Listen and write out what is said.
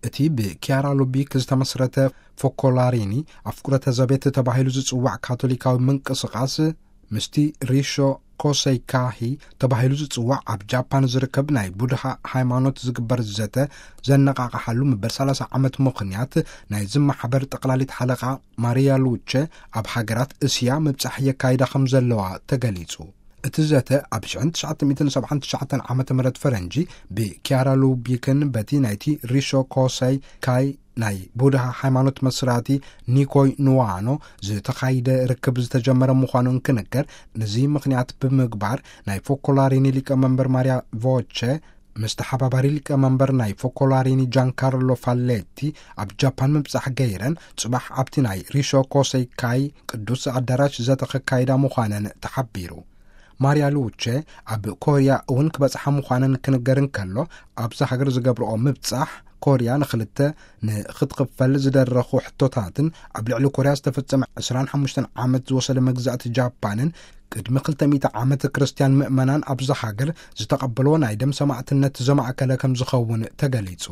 እቲ ብኪያራ ሉቢክ ዝተመስረተ ፎኮላሪኒ ኣፍቁረተ ዘቤት ተባሂሉ ዝጽዋዕ ካቶሊካዊ ምንቅስቓስ ምስቲ ሪሾ ኮሰይካሂ ተባሂሉ ዝጽዋዕ ኣብ ጃፓን ዝርከብ ናይ ቡድሃ ሃይማኖት ዝግበር ዘተ ዘነቓቕሓሉ ምበር ሰላሳ ዓመት ምኽንያት ናይ ዝመሓበር ጠቕላሊት ሓለቓ ማሪያ ሉቸ ኣብ ሃገራት እስያ ምብጻሕ የካይዳ ከም ዘለዋ ተገሊጹ። እቲ ዘተ ኣብ ሽሕን ትሽዓተ ሚእትን ሰብዓን ትሽዓተን ዓመተ ምህረት ፈረንጂ ብኪያራ ሉቢክን በቲ ናይቲ ሪሾ ኮሰይ ካይ ናይ ቡድሃ ሃይማኖት መስራቲ ኒኮይ ንዋኖ ዝተኻይደ ርክብ ዝተጀመረ ምዃኑ እንክንገር፣ ነዚ ምኽንያት ብምግባር ናይ ፎኮላሪኒ ሊቀ መንበር ማርያ ቮቸ ምስ ተሓባባሪ ሊቀ መንበር ናይ ፎኮላሪኒ ጃንካርሎ ፋሌቲ ኣብ ጃፓን ምብጻሕ ገይረን፣ ጽባሕ ኣብቲ ናይ ሪሾ ኮሰይ ካይ ቅዱስ ኣዳራሽ ዘተ ከካይዳ ምዃነን ተሓቢሩ። ማርያ ሉቼ ኣብ ኮርያ እውን ክበጽሓ ምዃነን ክንገር እንከሎ፣ ኣብዛ ሃገር ዝገብርኦ ምብጻሕ ኮርያ ንኽልተ ንኽትኽፈል ዝደረኹ ሕቶታትን ኣብ ልዕሊ ኮርያ ዝተፈጸመ ዕስራን ሓሙሽተን ዓመት ዝወሰደ መግዛእቲ ጃፓንን ቅድሚ ክልተ ሚእቲ ዓመት ክርስትያን ምእመናን ኣብዛ ሃገር ዝተቐበልዎ ናይ ደም ሰማዕትነት ዘማእከለ ከም ዝኸውን ተገሊጹ።